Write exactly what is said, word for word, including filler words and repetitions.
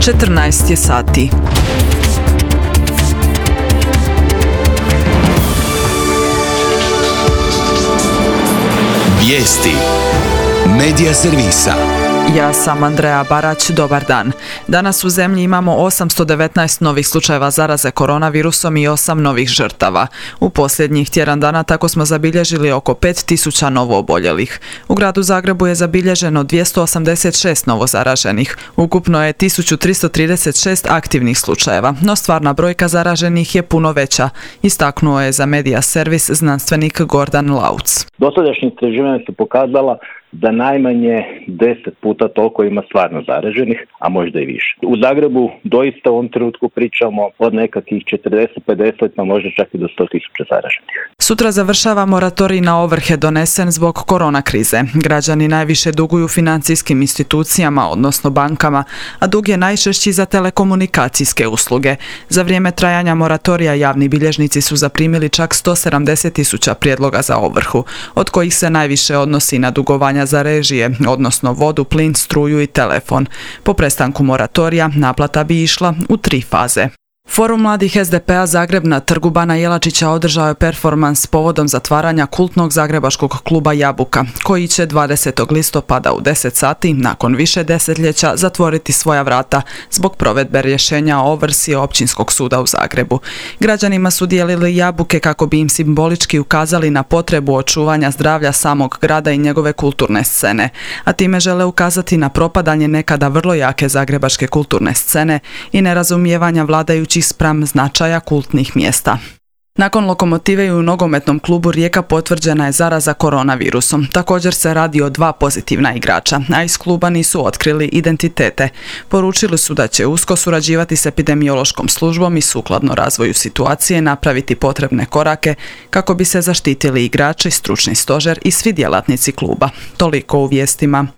četrnaest je sati. Vijesti Medija servisa. Ja sam Andreja Barać, dobar dan. Danas u zemlji imamo osamsto devetnaest novih slučajeva zaraze koronavirusom i osam novih žrtava. U posljednjih tjedan dana tako smo zabilježili oko pet tisuća novooboljelih. U gradu Zagrebu je zabilježeno dvjesto osamdeset šest novozaraženih. Ukupno je tisuću tristo trideset šest aktivnih slučajeva, no stvarna brojka zaraženih je puno veća, istaknuo je za Medija servis znanstvenik Gordan Lauc. Dosadašnja istraživanja su pokazala da najmanje deset puta toliko ima stvarno zaraženih, a možda i više. U Zagrebu doista u ovom trenutku pričamo od nekakvih četrdeset pedeset, pa možda čak i do sto tisuća zaraženih. Sutra završava moratorij na ovrhe donesen zbog korona krize. Građani najviše duguju financijskim institucijama, odnosno bankama, a dug je najčešći za telekomunikacijske usluge. Za vrijeme trajanja moratorija javni bilježnici su zaprimili čak sto sedamdeset tisuća prijedloga za ovrhu, od kojih se najviše odnosi na dugovanja za režije, odnosno vodu, plin, struju i telefon. Po prestanku moratorija naplata bi išla u tri faze. Forum mladih es de pe a Zagreb na Trgu Bana Jelačića održao je performans povodom zatvaranja kultnog zagrebačkog kluba Jabuka, koji će dvadesetog listopada u deset sati, nakon više desetljeća, zatvoriti svoja vrata zbog provedbe rješenja o ovrsi Općinskog suda u Zagrebu. Građanima su dijelili jabuke kako bi im simbolički ukazali na potrebu očuvanja zdravlja samog grada i njegove kulturne scene, a time žele ukazati na propadanje nekada vrlo jake zagrebačke kulturne scene i nerazumijevanja vladajućih spram značaja kultnih mjesta. Nakon Lokomotive i u nogometnom klubu Rijeka potvrđena je zaraza koronavirusom. Također se radi o dva pozitivna igrača, a iz kluba nisu otkrili identitete. Poručili su da će usko surađivati s epidemiološkom službom i sukladno razvoju situacije napraviti potrebne korake kako bi se zaštitili igrači, stručni stožer i svi djelatnici kluba. Toliko u vijestima.